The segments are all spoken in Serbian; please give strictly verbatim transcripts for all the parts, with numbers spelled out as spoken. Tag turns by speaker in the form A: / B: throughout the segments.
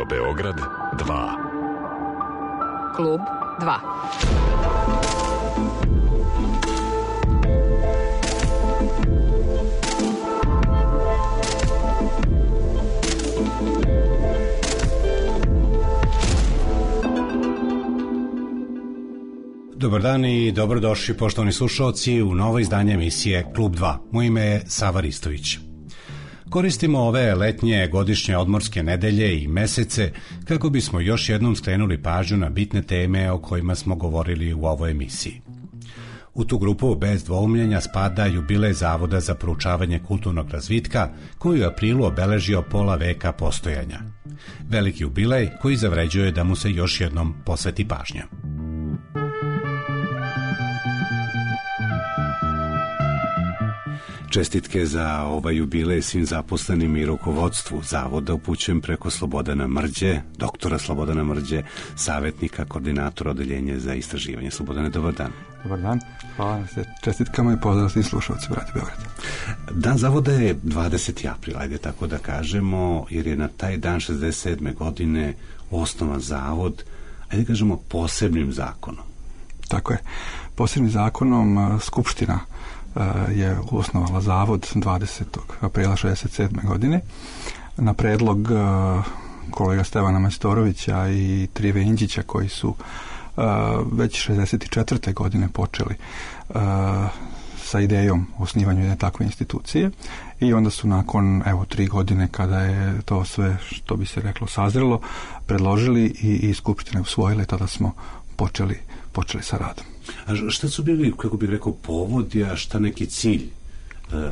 A: Radio Beograd dva.
B: Klub dva.
C: Dobar dan i dobrodošli poštovani slušalci u novo izdanje emisije Klub dva. Moje ime je Sava Ristović. Koristimo ove letnje godišnje odmorske nedelje i mesece kako bismo još jednom skrenuli pažnju na bitne teme o kojima smo govorili u ovoj emisiji. U tu grupu bez dvoumljenja spada jubilej Zavoda za proučavanje kulturnog razvitka koji u aprilu obeležio pola veka postojanja. Veliki jubilej koji zavređuje da mu se još jednom posveti pažnja. Čestitke za ovaj jubilej svim zaposlenim i rukovodstvu Zavoda upućujem preko Slobodana Mrđe, doktora Slobodana Mrđe, savjetnika, koordinatora odeljenja za istraživanje. Slobodane, dobar dan.
D: Dobar dan, hvala na se čestitkama i pozdrav svim slušalcima Radio Beograd.
C: Dan Zavoda je dvadesetog aprila, ajde tako da kažemo, jer je na taj dan šezdeset sedme godine osnovan Zavod, ajde kažemo posebnim zakonom.
D: Tako je, posebnim zakonom Skupština je osnovala Zavod dvadesetog aprila šezdeset sedme godine na predlog kolega Stevana Majstorovića i Trive Inđića koji su već šezdeset četvrte godine počeli sa idejom o osnivanju jedne takve institucije i onda su nakon evo tri godine kada je to sve što bi se reklo sazrelo predložili i, i Skupština usvojila i tada smo počeli, počeli sa radom.
C: A šta su bili, kako bih rekao, povodi, a šta neki cilj e, e,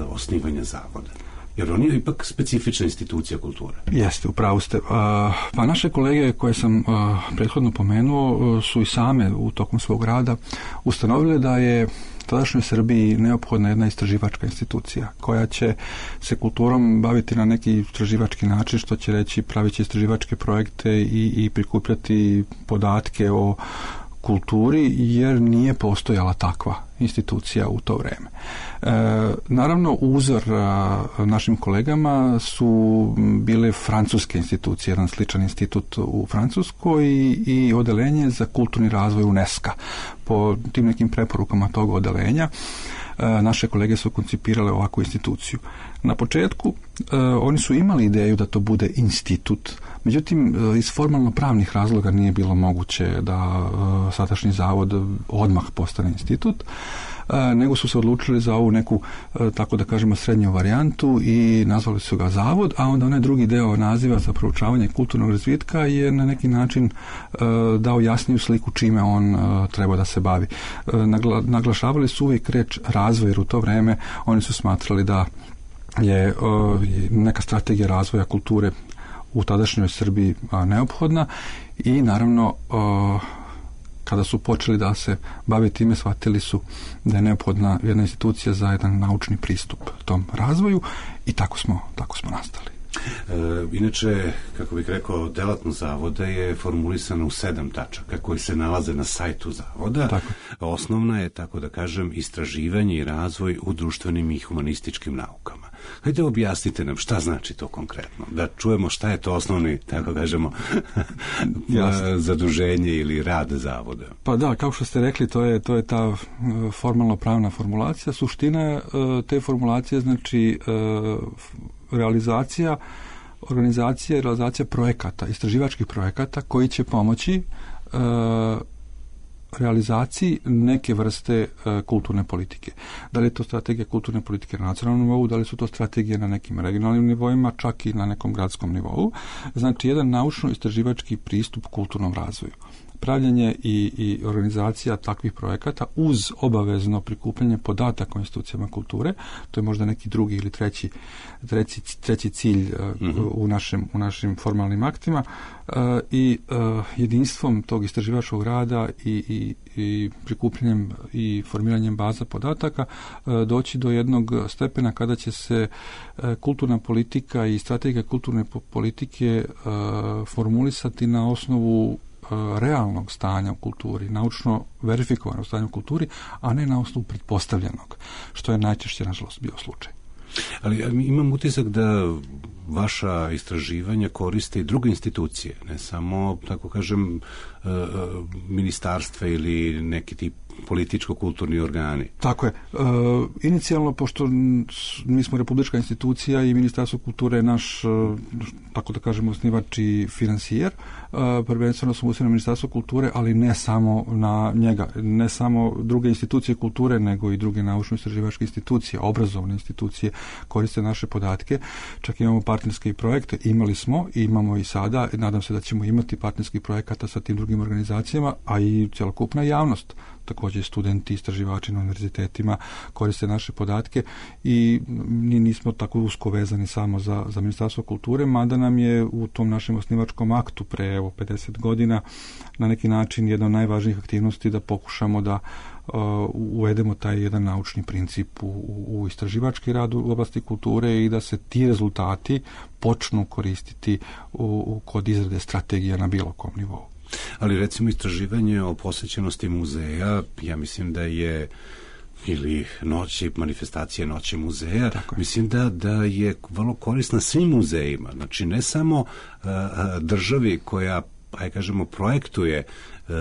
C: osnivanja Zavoda? Jer on je ipak specifična institucija kulture.
D: Jeste, upravo ste. A, pa naše kolege koje sam a, prethodno pomenuo su i same u tokom svog rada ustanovile da je tadašnjoj Srbiji neophodna jedna istraživačka institucija koja će se kulturom baviti na neki istraživački način, što će reći pravit će istraživačke projekte i, i prikupljati podatke o kulturi, jer nije postojala takva institucija u to vreme. E, naravno, uzor a, našim kolegama su bile francuske institucije, jedan sličan institut u Francuskoj i, i odeljenje za kulturni razvoj UNESCO. Po tim nekim preporukama tog odelenja e, naše kolege su koncipirale ovakvu instituciju. Na početku e, oni su imali ideju da to bude institut, međutim e, iz formalno pravnih razloga nije bilo moguće da e, sadašnji zavod odmah postane institut, e, nego su se odlučili za ovu neku, e, tako da kažemo, srednju varijantu i nazvali su ga Zavod, a onda onaj drugi deo naziva za proučavanje kulturnog razvitka je na neki način e, dao jasniju sliku čime on e, treba da se bavi. E, nagla, naglašavali su uvijek reč razvoj, jer u to vreme oni su smatrali da je uh, neka strategija razvoja kulture u tadašnjoj Srbiji uh, neophodna i naravno uh, kada su počeli da se bave time, shvatili su da je neophodna jedna institucija za jedan naučni pristup tom razvoju i tako smo, tako smo nastali.
C: E, inače, kako bih rekao, delatnost Zavoda je formulisana u sedam tačaka koji se nalaze na sajtu Zavoda. Tako. Osnovna je, tako da kažem, istraživanje i razvoj u društvenim i humanističkim naukama. Hajde objasnite nam šta znači to konkretno, da čujemo šta je to osnovni, tako kažemo, zaduženje ili rad Zavoda.
D: Pa da, kao što ste rekli, to je, to je ta formalno pravna formulacija. Suština te formulacije znači realizacija, organizacija i realizacija projekata, istraživačkih projekata koji će pomoći e, realizaciji neke vrste e, kulturne politike. Da li je to strategija kulturne politike na nacionalnom nivou, da li su to strategije na nekim regionalnim nivoima, čak i na nekom gradskom nivou. Znači, jedan naučno-istraživački pristup kulturnom razvoju. Pravljenje i, i organizacija takvih projekata uz obavezno prikupljanje podataka o institucijama kulture, to je možda neki drugi ili treći, treći, treći cilj uh, mm-hmm. u, našem, u našim formalnim aktima uh, i uh, jedinstvom tog istraživačkog rada i, i, i prikupljanjem i formiranjem baza podataka uh, doći do jednog stepena kada će se uh, kulturna politika i strategija kulturne politike uh, formulisati na osnovu realnog stanja u kulturi, naučno verifikovanog stanja u kulturi, a ne na osnovu pretpostavljenog, što je najčešće, nažalost, bio slučaj.
C: Ali imam utisak da vaša istraživanja koriste i druge institucije, ne samo, tako kažem, ministarstva ili neki tip političko-kulturni organi.
D: Tako je. E, inicijalno, pošto mi smo republička institucija i Ministarstvo kulture je naš, tako da kažemo, osnivač i finansijer, e, prvenstveno smo usmjereni na Ministarstvo kulture, ali ne samo na njega, ne samo druge institucije kulture, nego i druge naučno-istraživačke institucije, obrazovne institucije koriste naše podatke. Čak imamo partnerske projekte, imali smo, imamo i sada, nadam se da ćemo imati partnerskih projekata sa tim drugim organizacijama, a i cjelokupna javnost. Također studenti, istraživači na univerzitetima koriste naše podatke i mi nismo tako usko vezani samo za, za Ministarstvo kulture, mada nam je u tom našem osnivačkom aktu pre evo, pedeset godina na neki način jedna od najvažnijih aktivnosti da pokušamo da uh, uvedemo taj jedan naučni princip u, u istraživački rad u oblasti kulture i da se ti rezultati počnu koristiti u, u, kod izrade strategija na bilo kom nivou.
C: Ali recimo istraživanje o posjećenosti muzeja, ja mislim da je, ili noći, manifestacije noći muzeja, mislim da, da je vrlo korisna svim muzejima. Znači ne samo uh, državi koja, aj kažemo, projektuje uh,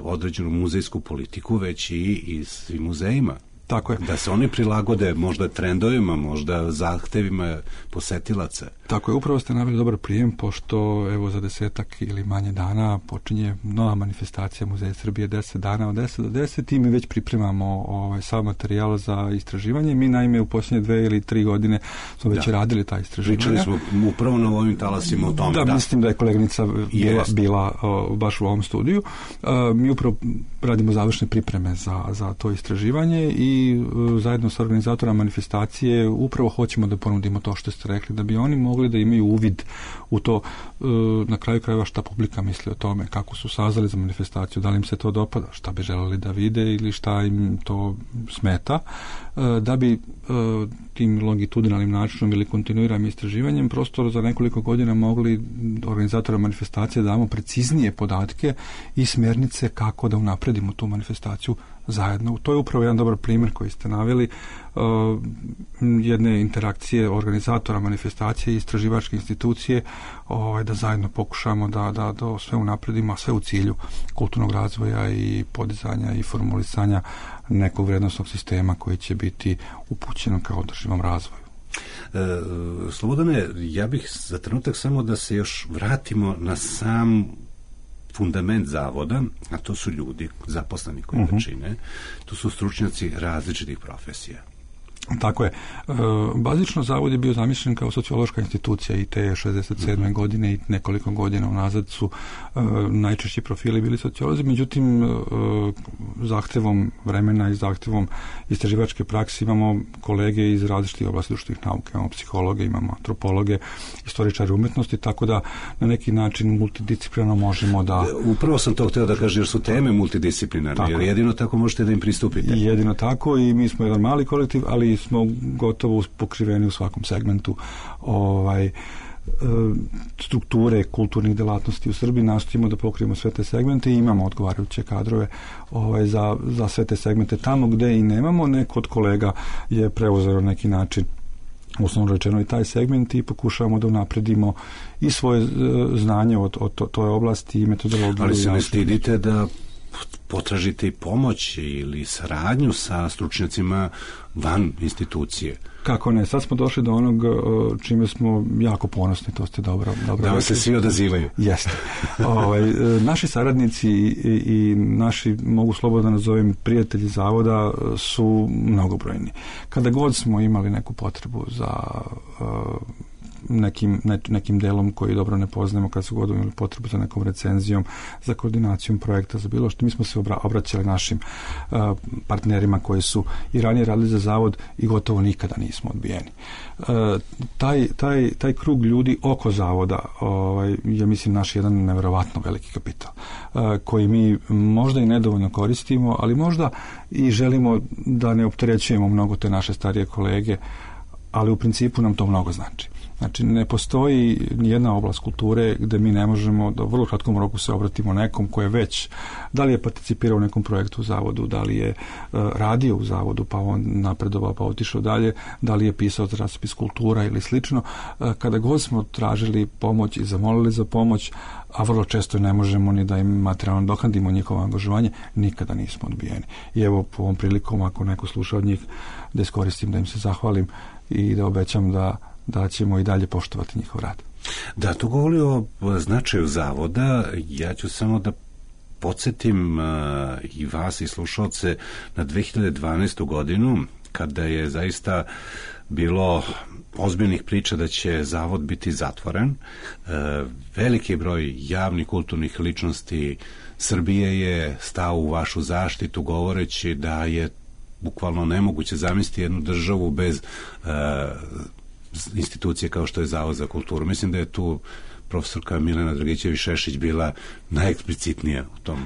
C: određenu muzejsku politiku, već i, i svim muzejima.
D: Tako je.
C: Da se oni prilagode možda trendovima, možda zahtevima posetilaca.
D: Tako je, upravo ste naveli dobar prijem, pošto evo za desetak ili manje dana počinje nova manifestacija Muzeja Srbije deset dana od deset do deset i mi već pripremamo ovaj, sav materijal za istraživanje. Mi naime u posljednje dve ili tri godine smo već da. radili ta istraživanja.
C: Pričali smo upravo na ovim talasima o tome.
D: Da,
C: da.
D: mislim da je koleginica bila, bila o, baš u ovom studiju. A, mi upravo radimo završne pripreme za, za to istraživanje i o, zajedno sa organizatorima manifestacije upravo hoćemo da ponudimo to što ste rekli, da bi oni mogli da imaju uvid u to, na kraju krajeva šta publika misli o tome, kako su sazvali za manifestaciju, da li im se to dopada, šta bi želeli da vide ili šta im to smeta, da bi tim longitudinalnim načinom ili kontinuiranim istraživanjem prosto za nekoliko godina mogli organizatora manifestacije da damo preciznije podatke i smjernice kako da unapredimo tu manifestaciju zajedno. To je upravo jedan dobar primjer koji ste naveli, uh, jedne interakcije organizatora manifestacije i istraživačke institucije, ovaj, da zajedno pokušamo da, da, da sve unapredimo, a sve u cilju kulturnog razvoja i podizanja i formulisanja nekog vrednosnog sistema koji će biti upućen ka održivom razvoju.
C: E, Slobodane, ja bih za trenutak samo da se još vratimo na sam fundament zavoda, a to su ljudi zaposleni koji uh-huh. ga čine, to su stručnjaci različitih profesija.
D: Tako je. E, bazično zavod je bio zamišljen kao sociološka institucija i te šezdeset sedme godine i nekoliko godina unazad su e, najčešći profili bili sociolozi, međutim e, zahtevom vremena i zahtevom istraživačke prakse imamo kolege iz različitih oblasti društvenih nauka, imamo psihologe, imamo antropologe, istoričare umetnosti, tako da na neki način multidisciplinarno možemo da...
C: Upravo sam to htio da kažem, jer su teme multidisciplinarne, jer jedino tako možete da im pristupite.
D: I jedino tako i mi smo jedan mali kolektiv, ali smo gotovo pokriveni u svakom segmentu ovaj, strukture kulturnih delatnosti u Srbiji. Nastojimo da pokrijemo sve te segmente i imamo odgovarajuće kadrove ovaj, za, za sve te segmente. Tamo gde i nemamo, neko od kolega je preuzeo neki način uslovno rečeno i taj segment i pokušavamo da unapredimo i svoje znanje od, od to, toj oblasti i metodologiju.
C: Ali se ne stidite da potražite i pomoć ili saradnju sa stručnjacima van institucije.
D: Kako ne, sad smo došli do onog čime smo jako ponosni, to ste dobro, dobro
C: da vam se svi odazivaju.
D: Jeste. ovaj, naši saradnici i, i naši, mogu slobodno nazovem, prijatelji zavoda su mnogobrojni. Kada god smo imali neku potrebu za uh, nekim, ne, nekim delom koji dobro ne poznajemo, kad su god imali potrebu za nekom recenzijom, za koordinacijom projekta, za bilo što, mi smo se obra, obraćali našim uh, partnerima koji su i ranije radili za zavod i gotovo nikada nismo odbijeni. Uh, taj, taj, taj krug ljudi oko zavoda ovaj, je, mislim, naš jedan neverovatno veliki kapital uh, koji mi možda i nedovoljno koristimo, ali možda i želimo da ne opterećujemo mnogo te naše starije kolege, ali u principu nam to mnogo znači. Znači, ne postoji nijedna oblast kulture gde mi ne možemo da u vrlo kratkom roku se obratimo nekom ko je već, da li je participirao u nekom projektu u zavodu, da li je uh, radio u zavodu, pa on napredovao, pa otišao dalje, da li je pisao za časopis Kultura ili slično. Uh, kada god smo tražili pomoć i zamolili za pomoć, a vrlo često ne možemo ni da im materijalno dokandimo njihovo angažovanje, nikada nismo odbijeni. I evo, po ovom prilikom, ako neko sluša od njih, da iskoristim, da im se zahvalim i da obećam da da ćemo i dalje poštovati njihov rad.
C: Da, to govori o značaju zavoda. Ja ću samo da podsjetim uh, i vas i slušalce na dve hiljade dvanaestu godinu, kada je zaista bilo ozbiljnih priča da će zavod biti zatvoren. Uh, veliki broj javnih kulturnih ličnosti Srbije je stao u vašu zaštitu govoreći da je bukvalno nemoguće zamisliti jednu državu bez uh, institucije kao što je Zavod za kulturu. Mislim da je tu profesorka Milena Dragićević-Šešić bila najeksplicitnija u tom.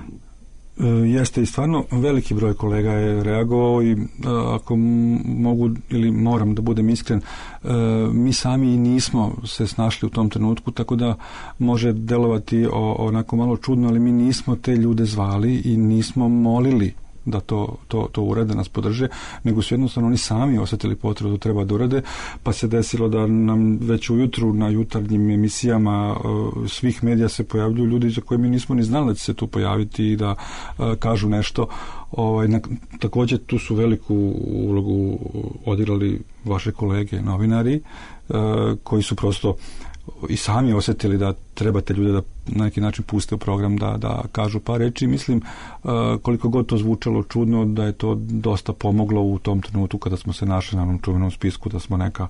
D: E, jeste i stvarno veliki broj kolega je reagovao i a, ako mogu ili moram da budem iskren, e, mi sami i nismo se snašli u tom trenutku, tako da može delovati o, onako malo čudno, ali mi nismo te ljude zvali i nismo molili da to, to, to urade, nas podrže, nego su jednostavno oni sami osjetili potrebu da treba da urade, pa se desilo da nam već ujutru na jutarnjim emisijama uh, svih medija se pojavljuju ljudi za koje mi nismo ni znali da će se tu pojaviti i da uh, kažu nešto. Ovaj, na, također tu su veliku ulogu odigrali vaše kolege novinari uh, koji su prosto i sami osjetili da trebate ljude da na neki način puste u program da, da kažu par reči. Mislim, uh, koliko god to zvučalo čudno, da je to dosta pomoglo u tom trenutku kada smo se našli na onom čuvenom spisku, da smo neka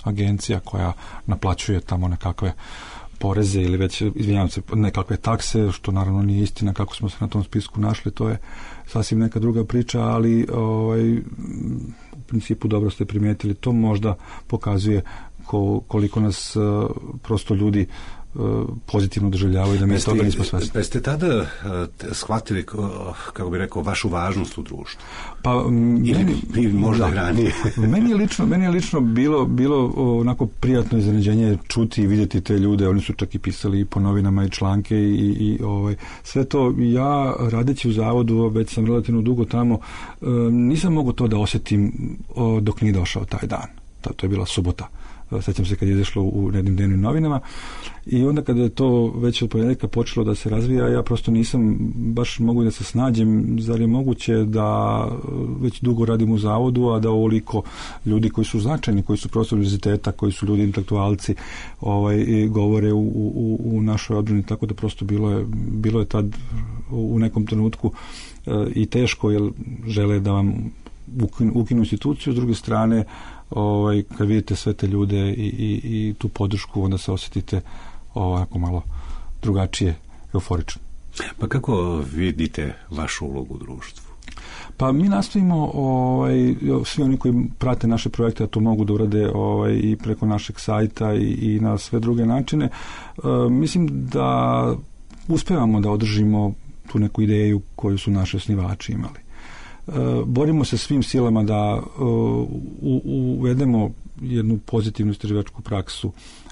D: agencija koja naplaćuje tamo nekakve poreze ili već, izvinjavam se, nekakve takse, što naravno nije istina kako smo se na tom spisku našli, to je sasvim neka druga priča, ali ovaj, u principu dobro ste primijetili, to možda pokazuje ko, koliko nas uh, prosto ljudi uh, pozitivno doživljavaju, da mi toga nismo svesni.
C: Pa ste tada uh, shvatili, kako bi rekao, vašu važnost u društvu?
D: Pa, ili, meni,
C: ili možda ranije?
D: meni je lično, meni je lično bilo, bilo onako prijatno iznenađenje čuti i vidjeti te ljude, oni su čak i pisali i po novinama i članke i, i ovaj, sve to. Ja, radeći u zavodu, već sam relativno dugo tamo, uh, nisam mogao to da osjetim uh, dok nije došao taj dan. Ta, to je bila subota. Sećam se kad je izašlo u jednim dnevnim novinama i onda kada je to već od ponedjeljka počelo da se razvija, ja prosto nisam baš mogu da se snađem, zar je moguće da već dugo radim u zavodu, a da ovoliko ljudi koji su značajni, koji su profesori univerziteta, koji su ljudi intelektualci, ovaj, govore u, u, u našoj odbrani, tako da prosto bilo je, bilo je tad u nekom trenutku e, i teško, jer žele da vam ukinu, ukinu instituciju, s druge strane ovaj, kad vidite sve te ljude i, i, i tu podršku, onda se osjetite ovako malo drugačije, euforično.
C: Pa kako vidite vašu ulogu u društvu?
D: Pa mi nastojimo, ovaj, svi oni koji prate naše projekte, a to mogu da urade ovaj, i preko našeg sajta i, i na sve druge načine, uh, mislim da uspevamo da održimo tu neku ideju koju su naši osnivači imali. Borimo se svim silama da uh, uvedemo jednu pozitivnu istraživačku praksu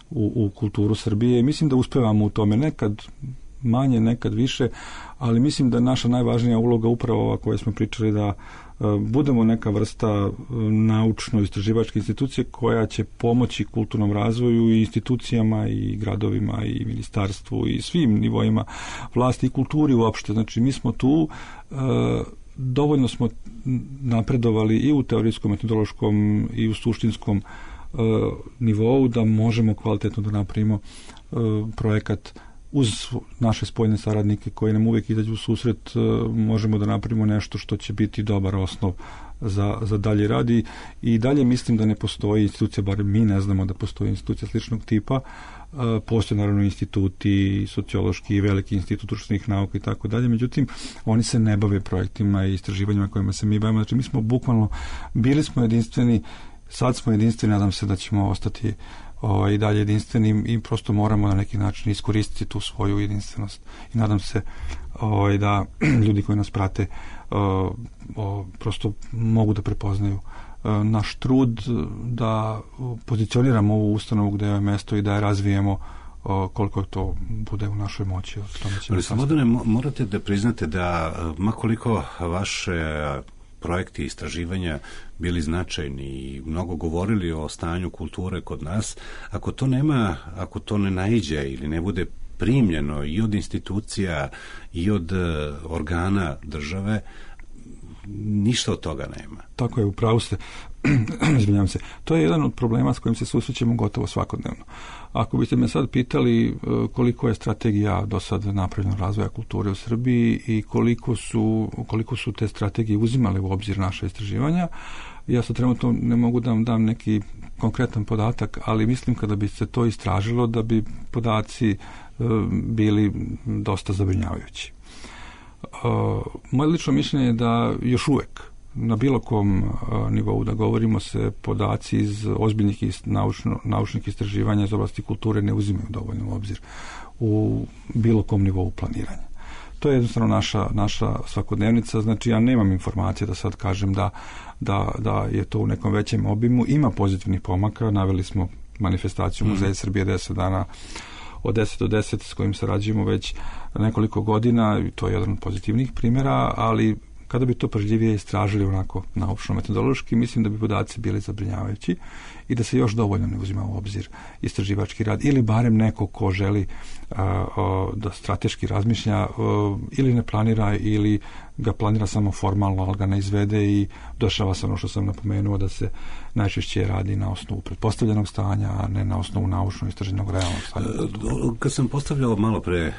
D: u, u kulturu Srbije i mislim da uspevamo u tome, nekad manje, nekad više, ali mislim da naša najvažnija uloga upravo ova koju smo pričali, da uh, budemo neka vrsta uh, naučno-istraživačke institucije koja će pomoći kulturnom razvoju i institucijama i gradovima i ministarstvu i svim nivoima vlasti i kulturi uopšte. Znači mi smo tu, uh, dovoljno smo napredovali i u teorijskom, metodološkom i u suštinskom uh, nivou da možemo kvalitetno da napravimo uh, projekat uz naše spoljne saradnike koji nam uvijek izađu u susret, uh, možemo da napravimo nešto što će biti dobar osnov za, za dalje rad i, i dalje mislim da ne postoji institucija, bar mi ne znamo da postoji institucija sličnog tipa. Uh, postoje naravno instituti, sociološki, veliki institut društvenih nauka i tako dalje, međutim oni se ne bave projektima i istraživanjima kojima se mi bavimo. Znači mi smo bukvalno, bili smo jedinstveni, sad smo jedinstveni, nadam se da ćemo ostati o, i dalje jedinstveni i prosto moramo na neki način iskoristiti tu svoju jedinstvenost i nadam se o, da ljudi koji nas prate o, o, prosto mogu da prepoznaju naš trud da pozicioniramo ovu ustanovu gde je mesto i da je razvijemo koliko to bude u našoj moći.
C: Ali Slobodane, morate da priznate da makoliko vaše projekti i istraživanja bili značajni i mnogo govorili o stanju kulture kod nas, ako to nema, ako to ne naiđe ili ne bude primljeno i od institucija i od organa države, ništa od toga nema.
D: Tako je, upravo ste. Izvinjavam se. To je jedan od problema s kojim se susrećemo gotovo svakodnevno. Ako biste me sad pitali koliko je strategija do sad napravljena razvoja kulture u Srbiji i koliko su, koliko su te strategije uzimale u obzir naše istraživanja, ja sad trenutno ne mogu da vam dam neki konkretan podatak, ali mislim kada bi se to istražilo da bi podaci bili dosta zabrinjavajući. Moje lično mišljenje je da još uvek na bilo kom nivou da govorimo se podaci iz ozbiljnih naučno, naučnih istraživanja iz oblasti kulture ne uzimaju dovoljno u obzir u bilo kom nivou planiranja. To je jednostavno naša, naša svakodnevnica, znači ja nemam informacije da sad kažem da, da, da je to u nekom većem obimu. Ima pozitivnih pomaka, naveli smo manifestaciju Muzeja Srbije deset dana od deset do deset s kojim sarađujemo već nekoliko godina i to je jedan od pozitivnih primjera, ali kada bi to pažljivije istražili onako naučno-metodološki, mislim da bi podaci bili zabrinjavajući i da se još dovoljno ne uzima u obzir istraživački rad ili barem neko ko želi a, a, da strateški razmišlja a, ili ne planira ili ga planira samo formalno, ali ga ne izvede i dešava se ono što sam napomenuo da se najčešće radi na osnovu pretpostavljenog stanja, a ne na osnovu naučno istraženog realnog stanja.
C: Kad sam postavljao malo pre uh,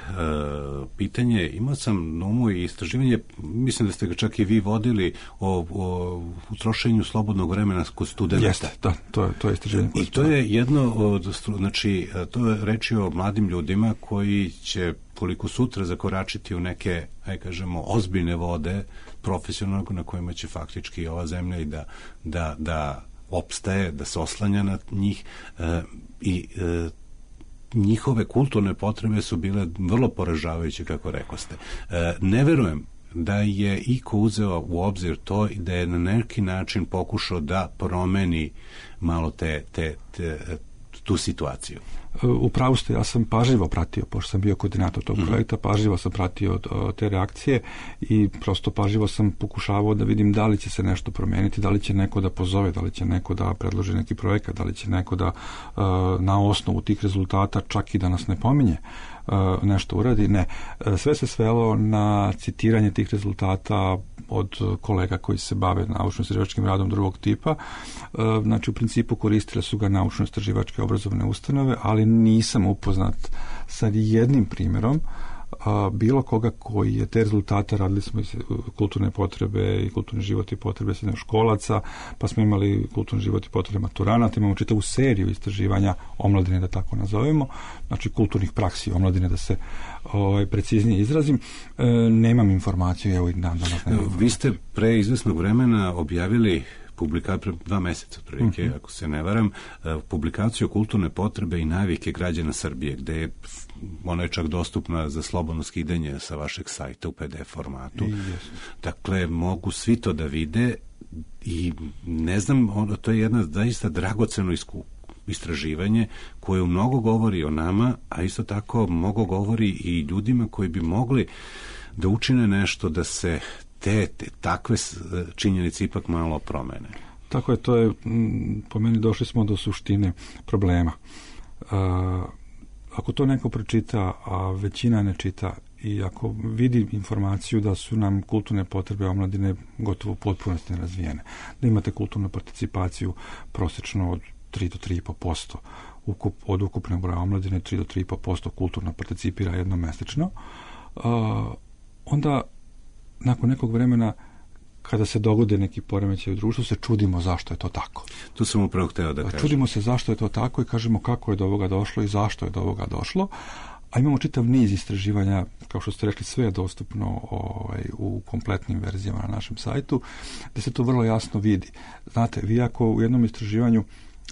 C: pitanje, imao sam na umu i istraživanje, mislim da ste ga čak i vi vodili o, o utrošenju slobodnog vremena kod studenta.
D: Jeste, da, to je, to je istraživanje.
C: I to je jedno od, znači, to je reč o mladim ljudima koji će koliko sutra zakoračiti u neke, aj kažemo, ozbiljne vode profesionalno na kojima će faktički ova zemlja i da, da, da opstaje, da se oslanja na njih e, i e, njihove kulturne potrebe su bile vrlo poražavajuće, kako rekoste. E, ne verujem da je iko uzeo u obzir to i da je na neki način pokušao da promeni malo te, te, te, tu situaciju.
D: U pravu ste, ja sam pažljivo pratio, pošto sam bio koordinator tog mm-hmm. projekta, pažljivo sam pratio te reakcije i prosto pažljivo sam pokušavao da vidim da li će se nešto promeniti, da li će neko da pozove, da li će neko da predloži neki projekat, da li će neko da na osnovu tih rezultata čak i da nas ne pominje nešto uradi. Ne. Sve se svelo na citiranje tih rezultata od kolega koji se bave naučno-istraživačkim radom drugog tipa. Znači, u principu koristile su ga naučno-istraživačke obrazovne ustanove, ali nisam upoznat sa jednim primjerom a, bilo koga koji je te rezultate, radili smo i kulturne potrebe i kulturni život i potrebe srednjoškolaca, pa smo imali kulturni život i potrebe maturanata, imamo čitavu seriju istraživanja omladine, da tako nazovemo, znači kulturnih praksi omladine, da se ovaj, preciznije izrazim. E, nemam informaciju, evo i dan danas nemam.
C: Vi ste pre izvesnog vremena objavili publikaciju, dva meseca otprilike, mm-hmm. ako se ne varam, publikaciju kulturne potrebe i navike građana Srbije, gde je ona je čak dostupna za slobodno skidanje sa vašeg sajta u P D F formatu.
D: Yes.
C: Dakle, mogu svi to da vide i ne znam, ono, to je jedna zaista dragoceno iskustvo, istraživanje koje mnogo govori o nama, a isto tako mnogo govori i ljudima koji bi mogli da učine nešto da se te, te takve činjenice ipak malo promene.
D: Tako je, to je, po meni došli smo do suštine problema. A, ako to neko pročita, a većina ne čita, i ako vidi informaciju da su nam kulturne potrebe omladine gotovo u potpunosti nerazvijene, da imate kulturnu participaciju prosečno od tri do tri i po posto ukup, od ukupnog broja omladine, tri do tri i po posto kulturno participira jednomesečno, a, onda nakon nekog vremena kada se dogode neki poremećaj u društvu, se čudimo zašto je to tako.
C: Tu sam upravo hteo da kažem.
D: Čudimo se zašto je to tako i kažemo kako je do ovoga došlo i zašto je do ovoga došlo, a imamo čitav niz istraživanja, kao što ste rekli, sve je dostupno ovaj, u kompletnim verzijama na našem sajtu, gde se to vrlo jasno vidi. Znate, vi ako u jednom istraživanju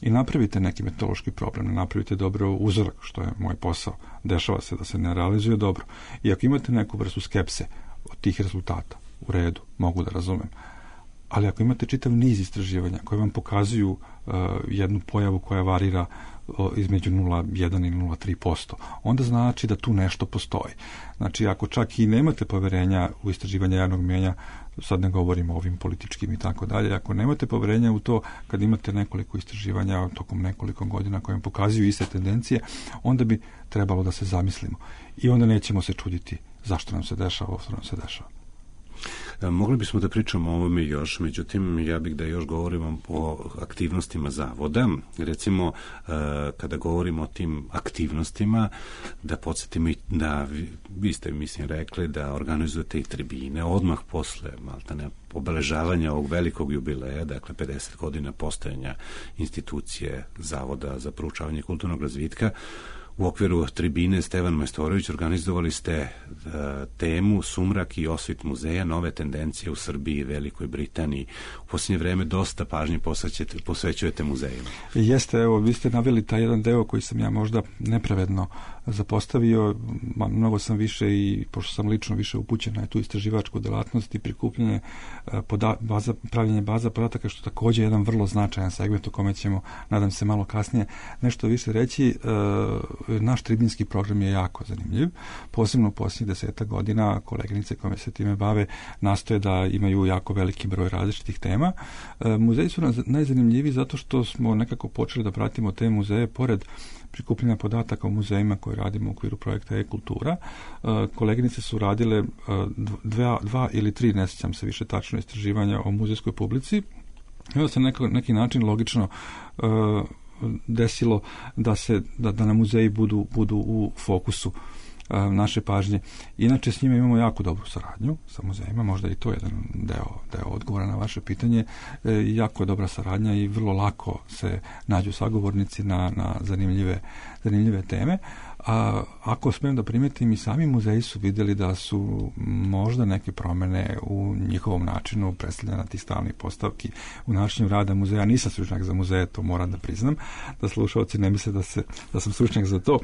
D: i napravite neki metodološki problem, ne napravite dobro uzorak, što je moj posao, dešava se da se ne realizuje dobro. I ako imate neku vrstu skepse od tih rezultata, u redu, mogu da razumem. ali ako imate čitav niz istraživanja koje vam pokazuju uh, jednu pojavu koja varira uh, između nula zarez jedan i nula zarez tri posto, onda znači da tu nešto postoji. Znači, ako čak i nemate poverenja u istraživanje javnog mnijenja, sad ne govorimo o ovim političkim i tako dalje, ako nemate poverenja u to kad imate nekoliko istraživanja tokom nekoliko godina koje vam pokazuju iste tendencije, onda bi trebalo da se zamislimo. I onda nećemo se čuditi zašto nam se dešava ovo što nam se dešava.
C: Mogli bismo da pričamo o ovome još, međutim, ja bih da još govorimo o aktivnostima zavoda. Recimo, kada govorimo o tim aktivnostima, da podsjetimo i da, vi ste, mislim, rekli da organizujete i tribine odmah posle maltene obeležavanja ovog velikog jubileja, dakle pedeset godina postojanja institucije Zavoda za proučavanje kulturnog razvitka. U okviru tribine Stevan Majstorović organizovali ste uh, temu Sumrak i osvit muzeja, nove tendencije u Srbiji i Velikoj Britaniji. U posljednje vreme dosta pažnje posvećujete muzejima.
D: Jeste, evo, vi ste naveli taj jedan deo koji sam ja možda nepravedno zapostavio. Mnogo sam više i, pošto sam lično više upućen na tu istraživačku delatnost i prikupljanje poda, baza, pravljenje baza podataka, što takođe je jedan vrlo značajan segment o kome ćemo, nadam se, malo kasnije nešto više reći. Naš tribinski program je jako zanimljiv. Posebno u posljednjih deseta godina koleginice koje se time bave nastoje da imaju jako veliki broj različitih tema. Muzeji su najzanimljiviji zato što smo nekako počeli da pratimo te muzeje pored prikupljanja podataka o muzejima koje radimo u okviru projekta e-kultura. Koleginice su radile dva, dva ili tri, ne sjećam se više tačno, istraživanja o muzejskoj publici. I onda se neko, neki način logično desilo da se da, da na muzeji budu, budu u fokusu a, naše pažnje. Inače, s njima imamo jako dobru saradnju sa muzejima, možda i to je jedan deo, deo odgovora na vaše pitanje. E, jako je dobra saradnja i vrlo lako se nađu sagovornici na, na zanimljive, zanimljive teme. A ako smijem da primetim, i sami muzeji su vidjeli da su možda neke promene u njihovom načinu predstavljanja tih stalnih postavki u načinu rada muzeja. Nisam stručnjak za muzeje, to moram da priznam, da slušalci ne misle da, se, da sam stručnjak za to.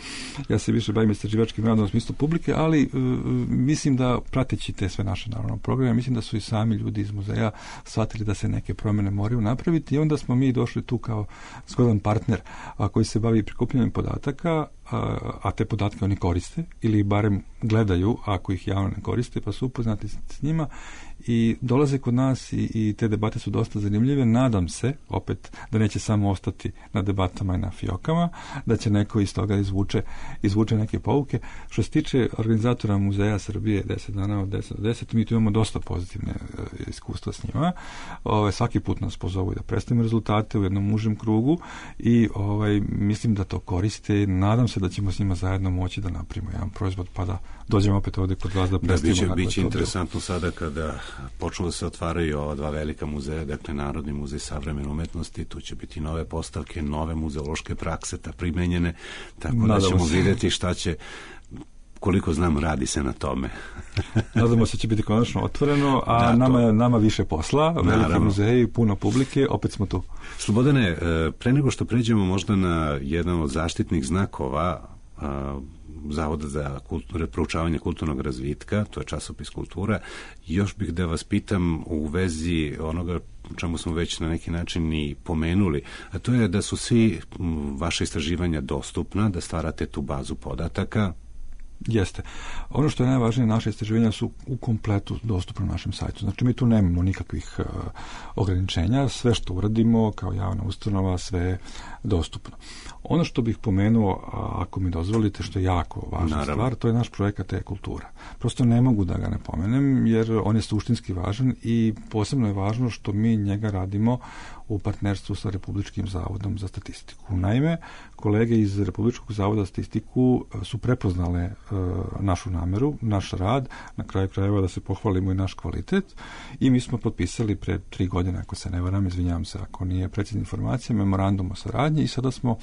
D: Ja se više bavim istraživačkim radom u smislu publike, ali uh, mislim da prateći te sve naše naravno programe, mislim da su i sami ljudi iz muzeja shvatili da se neke promene moraju napraviti i onda smo mi došli tu kao zgodan partner a, koji se bavi prikupljanjem podataka, a, a te podatke oni koriste ili barem gledaju ako ih javno ne koriste, pa su upoznati s njima i dolaze kod nas i, i te debate su dosta zanimljive. Nadam se, opet, da neće samo ostati na debatama i na fiokama, da će neko iz toga izvuče, izvuče neke pouke. Što se tiče organizatora Muzeja Srbije deset dana od deset do deset, mi tu imamo dosta pozitivne uh, iskustva s njima. Ove, svaki put nas pozovu da predstavimo rezultate u jednom užem krugu i ovaj, mislim da to koriste. Nadam se da ćemo s njima zajedno moći da napravimo jedan proizvod pa da dođemo opet ovdje kod vas da predstavimo.
C: Da, biće, biće interesantno sada kada počnu da se otvaraju ova dva velika muzeja, dakle Narodni muzej savremene umetnosti, tu će biti nove postavke, nove muzeološke prakse, ta primenjene, tako Nadamo da ćemo se. vidjeti šta će, koliko znam, radi se na tome.
D: Nadamo se će biti konačno otvoreno, a da, nama, nama više posla, veliki muzeji, puno publike, opet smo tu.
C: Slobodane, pre nego što pređemo možda na jedan od zaštitnih znakova Zavoda za kultur, proučavanje kulturnog razvitka, to je časopis Kultura, još bih da vas pitam u vezi onoga čemu smo već na neki način i pomenuli, a to je da su svi vaše istraživanja dostupna, da stvarate tu bazu podataka.
D: Jeste. Ono što je najvažnije, naše istraživanja su u kompletu dostupne na našem sajtu. Znači, mi tu nemamo nikakvih uh, ograničenja. Sve što uradimo kao javna ustanova, sve je dostupno. Ono što bih pomenuo, ako mi dozvolite, što je jako važna Naravno. stvar, to je naš projekat e-kultura. Prosto ne mogu da ga ne pomenem, jer on je suštinski važan i posebno je važno što mi njega radimo u partnerstvu sa Republičkim zavodom za statistiku. Naime, kolege iz Republičkog zavoda za statistiku su prepoznale e, našu nameru, naš rad, na kraju krajeva da se pohvalimo i naš kvalitet i mi smo potpisali pre tri godine, ako se ne varam, izvinjavam se ako nije precizna informacija, memorandum o saradnji i sada smo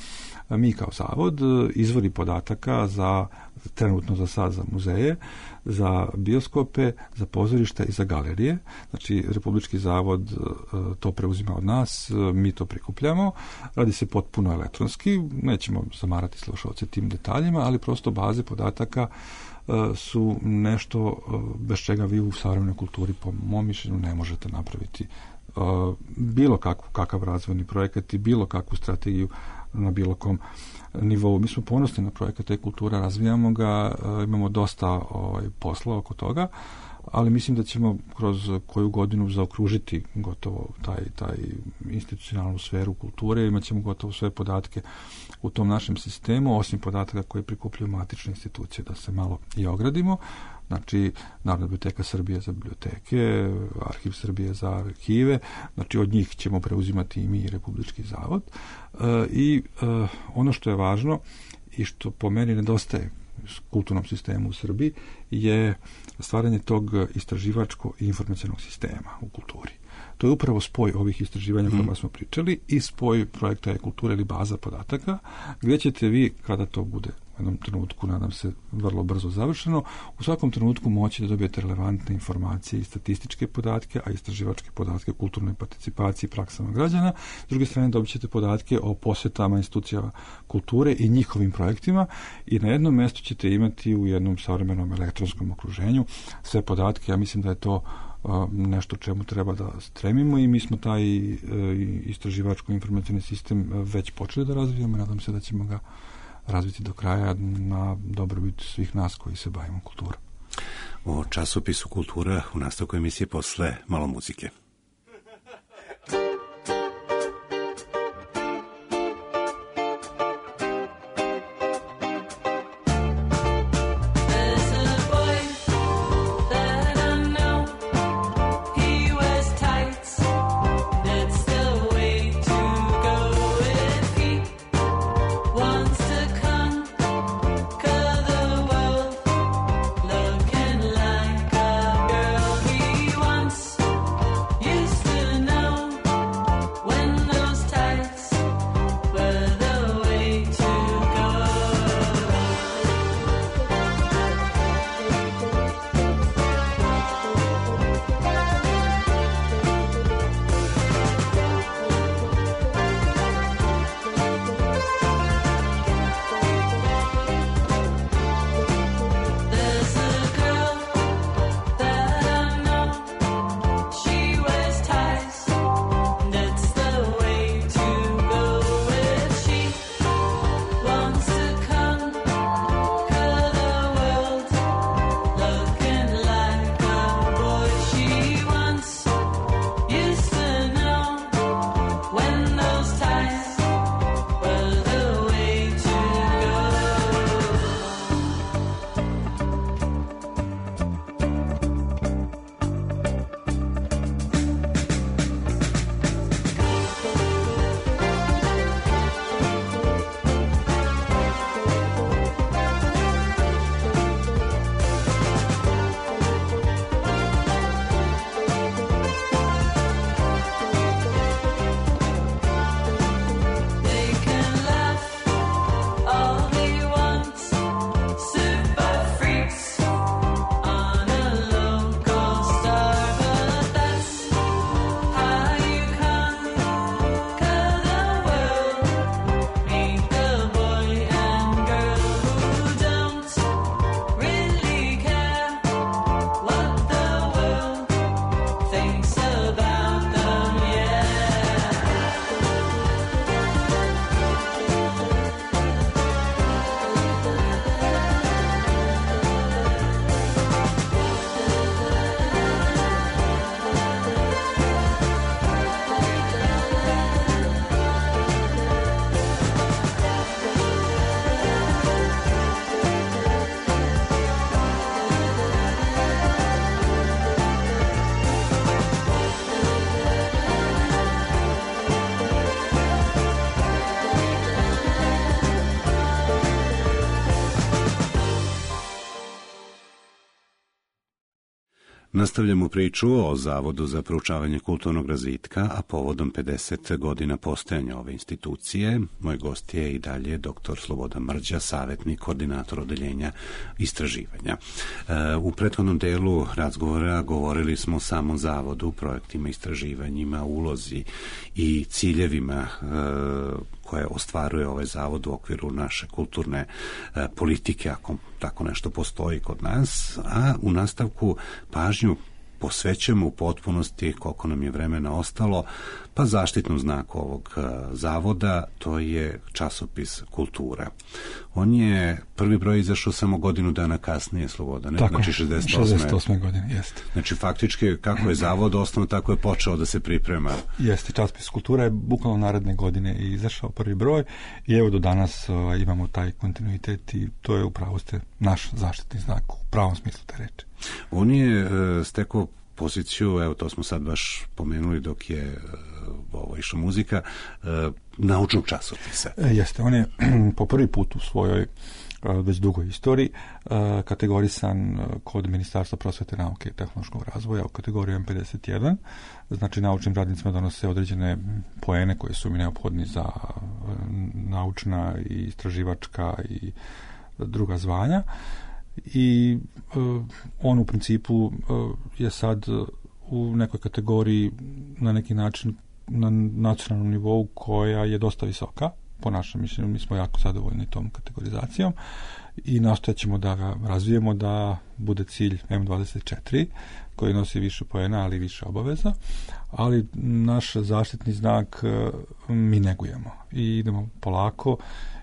D: mi kao zavod izvori podataka za trenutno za sad za muzeje, za bioskope, za pozorišta i za galerije. Znači, Republički zavod to preuzima od nas, mi to prikupljamo, radi se potpuno elektronski, nećemo zamarati slušalce tim detaljima, ali prosto baze podataka su nešto bez čega vi u savremenoj kulturi, po mom mišljenju, ne možete napraviti bilo kakvu, kakav razvojni projekat i bilo kakvu strategiju na bilo kom nivou. Mi smo ponosni na projekat e-kultura, razvijamo ga, imamo dosta ovaj, posla oko toga, ali mislim da ćemo kroz koju godinu zaokružiti gotovo taj, taj institucionalnu sferu kulture, imat ćemo gotovo sve podatke u tom našem sistemu, osim podataka koje prikupljaju matične institucije, da se malo i ogradimo. Znači, Narodna biblioteka Srbije za biblioteke, Arhiv Srbije za arhive, znači od njih ćemo preuzimati i mi i Republički zavod. E, I e, ono što je važno i što po meni nedostaje kulturnom sistemu u Srbiji je stvaranje tog istraživačko i informacionog sistema u kulturi. To je upravo spoj ovih istraživanja o kojima smo pričali i spoj projekta e-kulture ili baza podataka, gdje ćete vi, kada to bude u jednom trenutku, nadam se, vrlo brzo završeno, u svakom trenutku moći da dobijete relevantne informacije i statističke podatke, a istraživačke podatke o kulturnoj participaciji i praksama građana. S druge strane, dobit ćete podatke o posjetama institucijama kulture i njihovim projektima i na jednom mjestu ćete imati u jednom savremenom elektronskom okruženju sve podatke. Ja mislim da je to nešto čemu treba da stremimo i mi smo taj istraživačko informacijni sistem već počeli da razvijamo i nadam se da ćemo ga razviti do kraja na dobrobit svih nas koji se bavimo kulturom.
C: O časopisu Kultura u nastavku emisije posle malo muzike. Nastavljamo priču o Zavodu za proučavanje kulturnog razvitka, a povodom pedeset godina postojanja ove institucije. Moj gost je i dalje doktor Slobodan Mrđa, savjetnik, koordinator odeljenja istraživanja. U prethodnom delu razgovora govorili smo o samom zavodu, projektima, istraživanjima, ulozi i ciljevima koje ostvaruje ovaj zavod u okviru naše kulturne e, politike, ako tako nešto postoji kod nas, a u nastavku pažnju posvećujemo u potpunosti, koliko nam je vremena ostalo, pa zaštitnom znaku ovog zavoda, to je časopis Kultura. On je prvi broj izašao samo godinu dana kasnije, Slobodane,
D: tako,
C: znači šezdeset osme.
D: šezdeset osme godine, jeste.
C: Znači faktički kako je zavod osnovan, tako je počeo da se priprema.
D: Jeste, časopis Kultura je bukvalno naredne godine izašao prvi broj i evo do danas uh, imamo taj kontinuitet i to je upravo ste naš zaštitni znak u pravom smislu te reči.
C: On je uh, stekao poziciju, evo to smo sad baš pomenuli dok je uh, ovo išla muzika, uh, naučnog časopisa.
D: E, jeste, on je po prvi put u svojoj uh, već dugoj istoriji uh, kategorisan uh, kod Ministarstva prosvete, nauke i tehnološkog razvoja u kategoriju M pedeset jedan. Znači naučnim radnicima donose određene poene koje su mi neophodni za uh, naučna i istraživačka i druga zvanja. I uh, on u principu uh, je sad u nekoj kategoriji na neki način na nacionalnom nivou koja je dosta visoka, po našem mišljenju. Mi smo jako zadovoljni tom kategorizacijom i nastojat ćemo da ga razvijemo da bude cilj M dvadeset četiri koji nosi više poena, ali više obaveza, ali naš zaštitni znak uh, mi negujemo i idemo polako.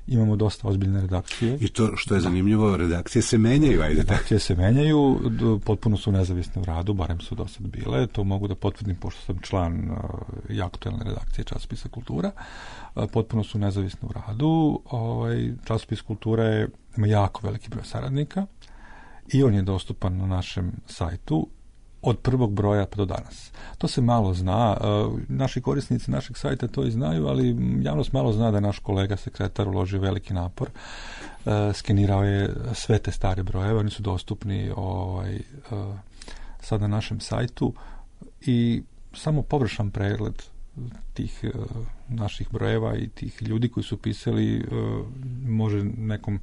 D: Imamo dosta ozbiljne redakcije.
C: I to što je zanimljivo, redakcije se menjaju. Ajde.
D: Redakcije se menjaju, potpuno su nezavisne u radu, barem su do sad bile. To mogu da potvrdim, pošto sam član uh, i aktuelne redakcije časopisa Kultura. Uh, potpuno su nezavisne u radu. Ovaj, časopis Kultura je, ima jako veliki broj saradnika i on je dostupan na našem sajtu od prvog broja pa do danas. To se malo zna, naši korisnici našeg sajta to i znaju, ali javnost malo zna da je naš kolega sekretar uložio veliki napor, skenirao je sve te stare brojeve, oni su dostupni ovaj, sad na našem sajtu i samo površan pregled tih naših brojeva i tih ljudi koji su pisali može nekom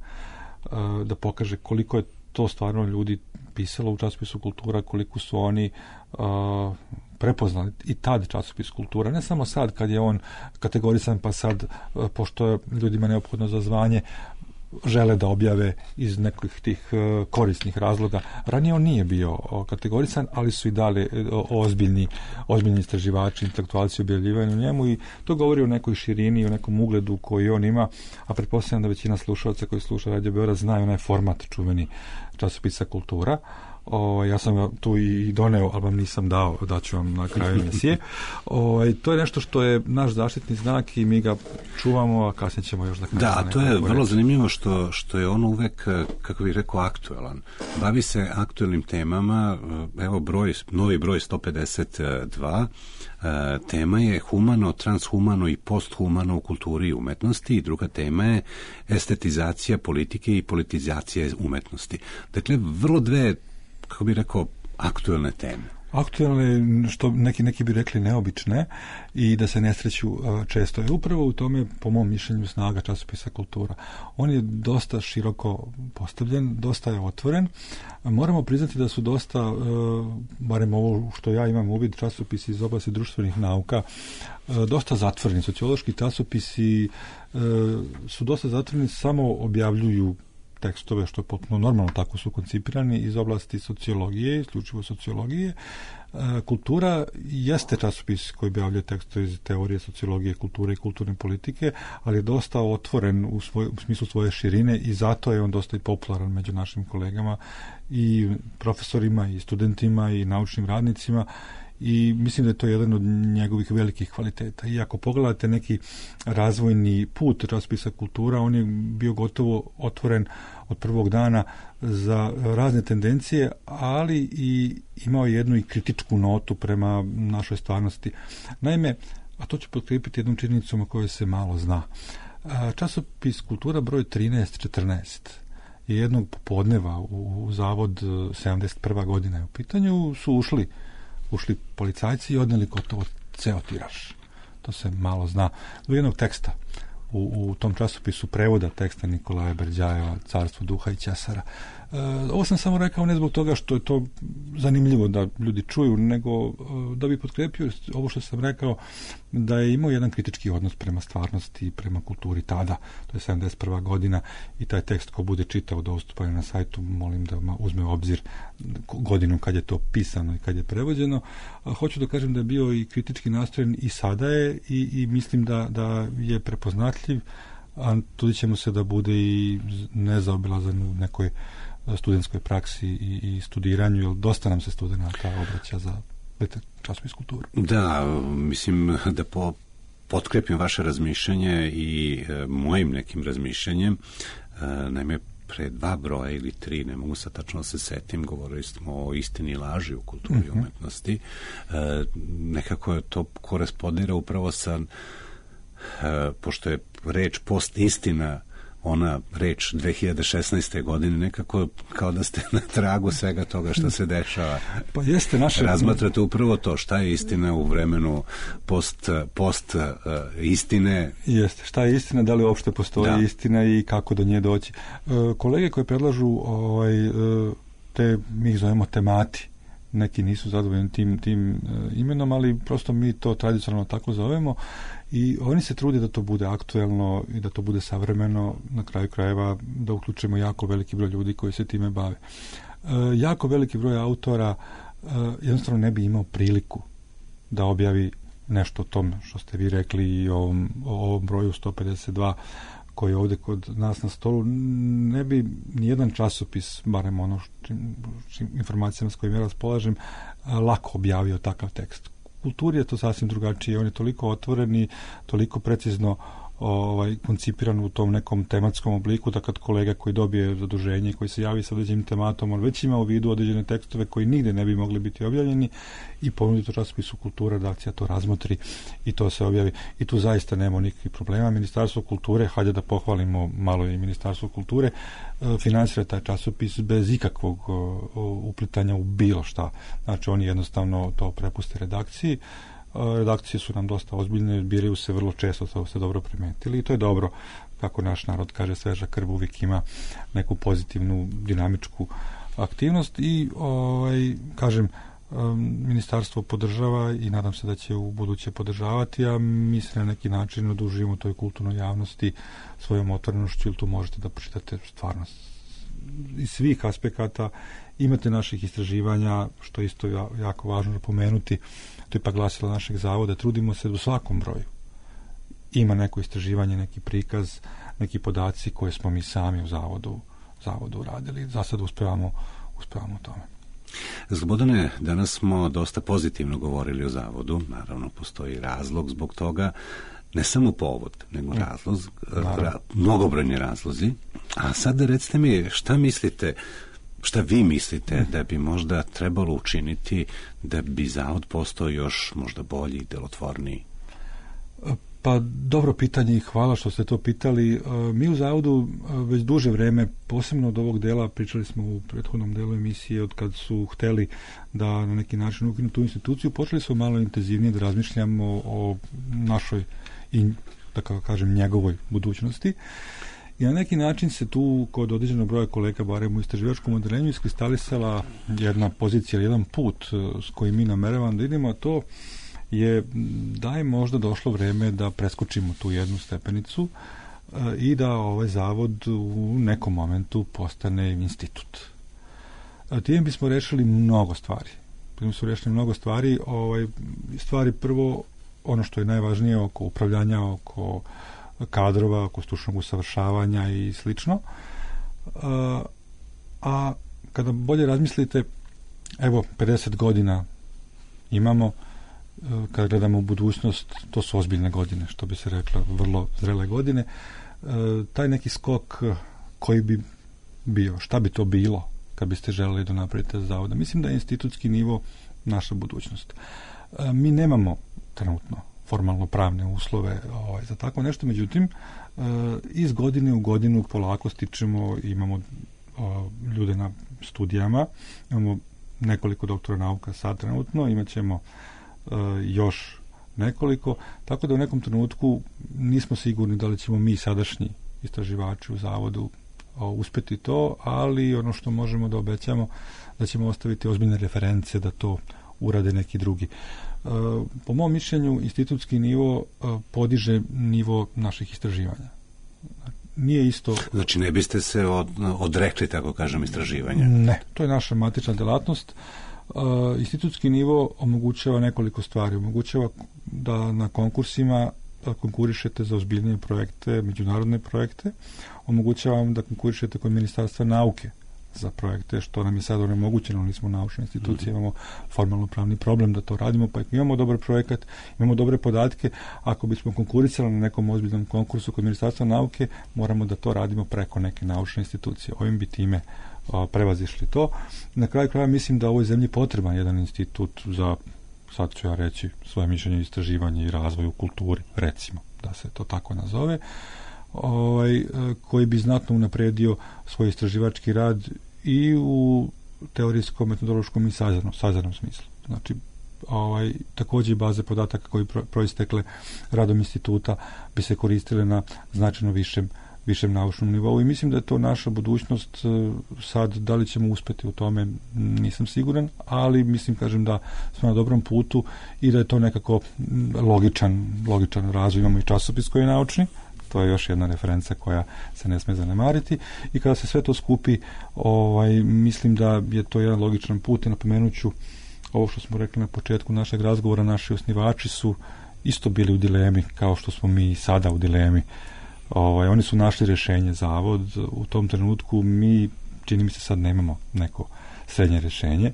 D: da pokaže koliko je to stvarno ljudi pisalo u časopisu Kultura, koliko su oni uh, prepoznali i tad časopis Kultura, ne samo sad kad je on kategorisan, pa sad, uh, pošto je ljudima neophodno za zvanje, žele da objave iz nekih tih uh, korisnih razloga. Ranije on nije bio uh, kategorisan, ali su i dali uh, ozbiljni, ozbiljni istraživači, intelektualci objavljivani u njemu i to govori o nekoj širini i o nekom ugledu koji on ima, a pretpostavljam da većina slušalaca koji sluša Radio Beograd znaju onaj format čuveni časopisa Kultura. O, ja sam tu i doneo, ali vam nisam dao, daću vam na kraju emisije. O, to je nešto što je naš zaštitni znak i mi ga čuvamo, a kasnije ćemo još da kažemo.
C: Da, to je vrlo zanimljivo što, što je on uvek, kako bih rekao, aktuelan. Bavi se aktuelnim temama, evo broj, novi broj sto pedeset dva, tema je humano, transhumano i posthumano u kulturi i umetnosti i druga tema je estetizacija politike i politizacija umetnosti. Dakle, vrlo dve, kako bih rekao, aktuelne teme.
D: Aktuelne, što neki, neki bi rekli neobične i da se ne sreću uh, često. Je upravo u tome, po mom mišljenju, snaga časopisa Kultura. On je dosta široko postavljen, dosta je otvoren. Moramo priznati da su dosta, uh, barem ovo što ja imam uvid, časopisi iz oblasti društvenih nauka, uh, dosta zatvoreni. Sociološki časopisi uh, su dosta zatvoreni, samo objavljuju tekstove, što je potpuno normalno, tako su koncipirani iz oblasti sociologije, isključivo sociologije. Kultura jeste časopis koji objavljuje tekstove iz teorije sociologije, kulture i kulturne politike, ali je dosta otvoren u, svoj, u smislu svoje širine i zato je on dosta i popularan među našim kolegama i profesorima i studentima i naučnim radnicima i mislim da je to jedan od njegovih velikih kvaliteta. I ako pogledate neki razvojni put časopisa Kultura, on je bio gotovo otvoren od prvog dana za razne tendencije, ali i imao jednu i kritičku notu prema našoj stvarnosti. Naime, a to ću potkrijepiti jednom činjenicom o kojoj se malo zna. Časopis Kultura broj trinaest četrnaest je jednog popodneva u, u zavod sedamdeset prva godina je u pitanju, su ušli ušli policajci i odneli gotovo ceo tiraž. To se malo zna. Do jednog teksta u, u tom časopisu prevoda teksta Nikolaja Berđajeva Carstvo duha i ćesara Ovo sam samo rekao ne zbog toga što je to zanimljivo da ljudi čuju, nego da bi potkrepio ovo što sam rekao, da je imao jedan kritički odnos prema stvarnosti i prema kulturi tada, to je sedamdeset prva godina, i taj tekst ko bude čitao dostupan je na sajtu, molim da uzme u obzir godinu kad je to pisano i kad je prevođeno. A hoću da kažem da je bio i kritički nastrojen i sada je i, i mislim da, da je prepoznatljiv, a tudi ćemo se da bude i nezaobilazan u nekoj studentskoj praksi i, i studiranju, jer dosta nam se studenata obraća za časopis kulturu.
C: Da, mislim da po, potkrepim vaše razmišljanje i e, mojim nekim razmišljanjem. E, naime, pre dva broja ili tri, ne mogu sad tačno se setim, govorili smo o istini i laži u kulturi i uh-huh. umetnosti. E, nekako je to korespondira upravo sa, e, pošto je reč post istina, ona reč dve hiljade šesnaeste. godine, nekako kao da ste na tragu svega toga što se dešava.
D: Pa jeste naše...
C: Razmatrate upravo to, šta je istina u vremenu post, post uh, istine.
D: Jeste, šta je istina, da li uopšte postoji da. istina i kako do nje doći. Uh, kolege koje predlažu ovaj, uh, te, mi ih zovemo temati, neki nisu zadovoljni tim, tim uh, imenom, ali prosto mi to tradicionalno tako zovemo i oni se trude da to bude aktuelno i da to bude savremeno, na kraju krajeva da uključimo jako veliki broj ljudi koji se time bave. Uh, jako veliki broj autora uh, jednostavno ne bi imao priliku da objavi nešto o tom što ste vi rekli i o ovom, o ovom broju sto pedeset dva koji je ovdje kod nas na stolu. Ne bi nijedan časopis, barem ono čim, čim, informacijama s kojim ja raspolažem, lako objavio takav tekst. U kulturi je to sasvim drugačije. On je toliko otvoren i toliko precizno ovaj, koncipiran u tom nekom tematskom obliku da kad kolega koji dobije zaduženje i koji se javi sa određenim tematom, on već ima u vidu određene tekstove koji nigde ne bi mogli biti objavljeni i ponudi to časopisu kultura, redakcija to razmotri i to se objavi. I tu zaista nema nikakvih problema. Ministarstvo kulture, hajde da pohvalimo malo i Ministarstvo kulture, finansira taj časopis bez ikakvog uplitanja u bilo šta. Znači oni jednostavno to prepuste redakciji. Redakcije su nam dosta ozbiljne, biraju se vrlo često, to ste dobro primetili i to je dobro, kako naš narod kaže, sveža krv uvijek ima neku pozitivnu dinamičku aktivnost i ovaj, kažem, ministarstvo podržava i nadam se da će u buduće podržavati, a mi se na neki način odužujemo toj kulturnoj javnosti svojom otvorenošću, ili tu možete da pročitate stvarno iz svih aspekata. Imate naših istraživanja, što je isto jako važno napomenuti, to je pa glasilo našeg zavoda, trudimo se u svakom broju. Ima neko istraživanje, neki prikaz, neki podaci koje smo mi sami u zavodu, zavodu uradili. Za sad uspevamo, uspevamo u tome.
C: Slobodane, danas smo dosta pozitivno govorili o zavodu, naravno postoji razlog zbog toga, ne samo povod, nego razlog, ra, mnogobrojni razlozi. A sad recite mi, šta mislite, šta vi mislite da bi možda trebalo učiniti da bi zavod postao još možda bolji i delotvorniji?
D: Pa dobro pitanje i hvala što ste to pitali. Mi u zavodu već duže vreme, posebno od ovog dela, pričali smo u prethodnom delu emisije, od kad su hteli da na neki način ukinu tu instituciju, počeli smo malo intenzivnije da razmišljamo o našoj i, da kako kažem, njegovoj budućnosti. I na neki način se tu kod određenog broja kolega, barem u istraživačkom odeljenju, iskristalisala jedna pozicija, jedan put s kojim mi nameravamo da idemo, a to je da je možda došlo vreme da preskočimo tu jednu stepenicu e, i da ovaj zavod u nekom momentu postane institut. E, time bismo rešili mnogo stvari. Time bismo rešili mnogo stvari. Ovaj, stvari prvo, ono što je najvažnije oko upravljanja, oko kadrova, oko stručnog usavršavanja i slično. A, a kada bolje razmislite, evo, pedeset godina imamo, kada gledamo u budućnost, to su ozbiljne godine, što bi se rekla, vrlo zrele godine. Taj neki skok koji bi bio, šta bi to bilo kad biste želeli da napravite zavoda? Mislim da je institutski nivo naša budućnost. Mi nemamo trenutno formalno pravne uslove ovaj, za tako nešto, međutim iz godine u godinu polako stičemo, imamo o, ljude na studijama, imamo nekoliko doktora nauka sad trenutno, imat ćemo Uh, još nekoliko, tako da u nekom trenutku nismo sigurni da li ćemo mi sadašnji istraživači u zavodu uspeti to, ali ono što možemo da obećamo da ćemo ostaviti ozbiljne reference da to urade neki drugi. Po mom mišljenju, institutski nivo podiže nivo naših istraživanja. Nije isto...
C: Znači ne biste se od, odrekli, tako kažem, istraživanja?
D: Ne, to je naša matična delatnost. Institutski nivo omogućava nekoliko stvari. Omogućava da na konkursima konkurišete za ozbiljnije projekte, međunarodne projekte. Omogućava vam da konkurišete kod Ministarstva nauke za projekte, što nam je sad onemogućeno, nismo naučna institucija, mm-hmm. imamo formalno pravni problem da to radimo, pa imamo dobar projekat, imamo dobre podatke, ako bismo konkurisali na nekom ozbiljnom konkursu kod Ministarstva nauke, moramo da to radimo preko neke naučne institucije. Ovim bi time o, prevazišli to. Na kraju kraja mislim da u ovoj zemlji potreban jedan institut za, sad ću ja reći, svoje mišljenje, istraživanje i razvoj u kulturi, recimo, da se to tako nazove, ovaj, koji bi znatno unapredio svoj istraživački rad i u teorijskom, metodološkom i sazernom, sazernom smislu. Znači, ovaj, također i baze podataka koji pro, proistekle radom instituta bi se koristile na značajno višem, višem naučnom nivou i mislim da je to naša budućnost. Sad, da li ćemo uspeti u tome, nisam siguran, ali mislim, kažem, da smo na dobrom putu i da je to nekako logičan, logičan razvoj. Imamo i časopis koji je naučni, to je još jedna referenca koja se ne sme zanemariti i kada se sve to skupi, ovaj, mislim da je to jedan logičan put i napomenut ću ovo što smo rekli na početku našeg razgovora, naši osnivači su isto bili u dilemi kao što smo mi sada u dilemi. Ovaj, oni su našli rješenje, zavod, u tom trenutku mi, čini mi se, sad nemamo neko srednje rješenje.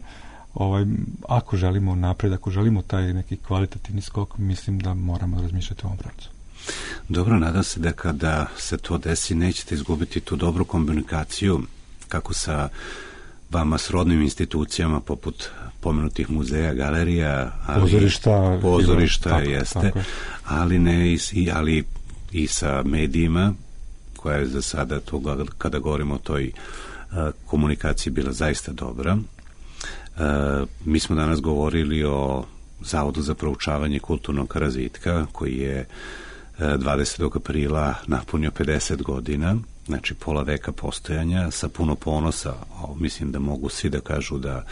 D: Ovaj, ako želimo napred, ako želimo taj neki kvalitativni skok, mislim da moramo razmišljati o ovom pravcu.
C: Dobro, nadam se da kada se to desi nećete izgubiti tu dobru komunikaciju kako sa vama srodnim institucijama poput pomenutih muzeja, galerija, ali,
D: pozorišta,
C: pozorišta
D: tako,
C: jeste,
D: tako.
C: ali ne i, ali i sa medijima, koja je za sada to, kada govorimo o toj uh, komunikaciji, bila zaista dobra. Uh, mi smo danas govorili o Zavodu za proučavanje kulturnog razvitka koji je dvadesetog aprila napunio pedeset godina, znači pola veka postojanja, sa puno ponosa. O, mislim da mogu svi da kažu da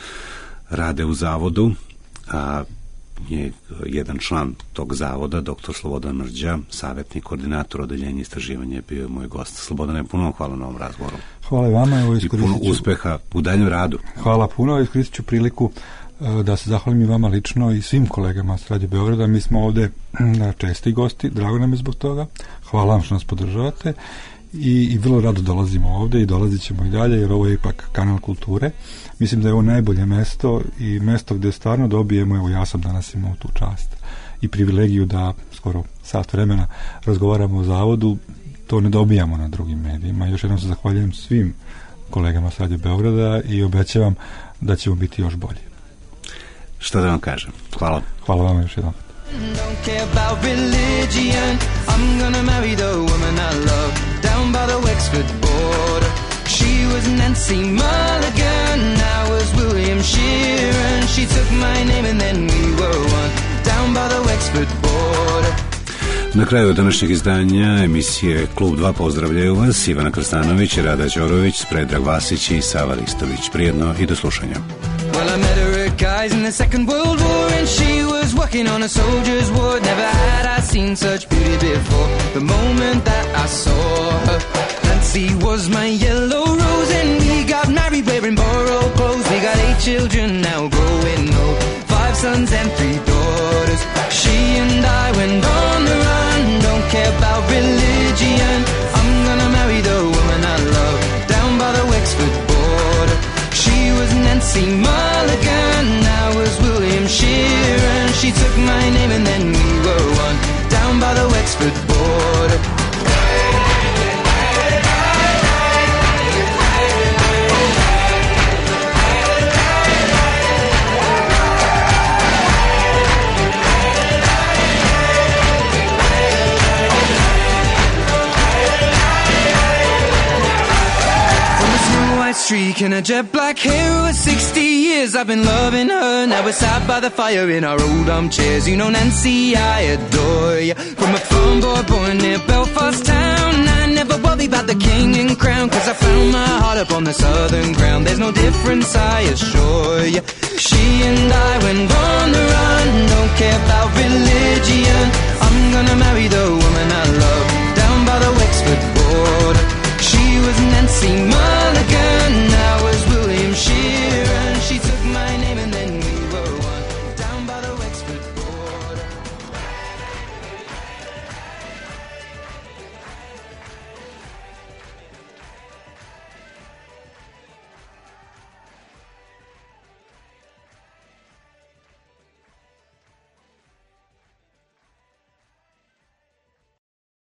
C: rade u zavodu, a je jedan član tog zavoda, doktor Slobodan Mrđa, savjetnik, koordinator odeljenja istraživanja, je bio moj gost. Slobodane, puno hvala na ovom razgovoru.
D: Hvala vama. Evo,
C: i puno uspeha u daljem radu.
D: Hvala puno, iskoristit ću priliku da se zahvalim i vama lično i svim kolegama s Radio Beograda. Mi smo ovde česti gosti, drago nam je zbog toga. Hvala vam što nas podržavate i, i vrlo rado dolazimo ovde i dolazit ćemo i dalje, jer ovo je ipak kanal kulture. Mislim da je ovo najbolje mesto i mesto gde stvarno dobijemo, evo ja sam danas imao tu čast i privilegiju da skoro sat vremena razgovaramo o zavodu, to ne dobijamo na drugim medijima. Još jednom se zahvaljujem svim kolegama s Radio Beograda i obećavam da ćemo biti još bolji.
C: Šta da vam kažem? Hvala.
D: Hvala vam još jednom.
A: Don't care about religion. I'm gonna marry the woman I love down by the Wexford border. She was Nancy Mulligan, I was William Sheeran. She took my name and then we were one down by the Wexford border.
C: Na kraju današnjeg izdanja emisije Klub dva pozdravljaju vas Ivana Krstanović, Rada Đorović, Predrag Vasić i Sava Ristović. Prijedno i do slušanja.
A: Well, I met her at guys in the Second World War, and she was working on a soldier's ward. Never had I seen such beauty before. The moment that I saw her, Nancy was my yellow rose, and we got married wearing borrowed clothes. We got eight children now growing old, five sons and three daughters. She and I went on the run, don't care about religion. I'm gonna marry the woman I love down by the Wexford border. She was Nancy Mulligan, I was William Sheeran. She took my name and then we were one down by the Wexford border. Streak and a jet black hair. Over sixty years I've been loving her. Now we're sat by the fire in our old armchairs. You know Nancy, I adore you. From a farm boy born near Belfast town, I never worry worry about the king and crown, cause I found my heart up on the southern ground. There's no difference, I assure you. She and I went on the run, don't care about religion.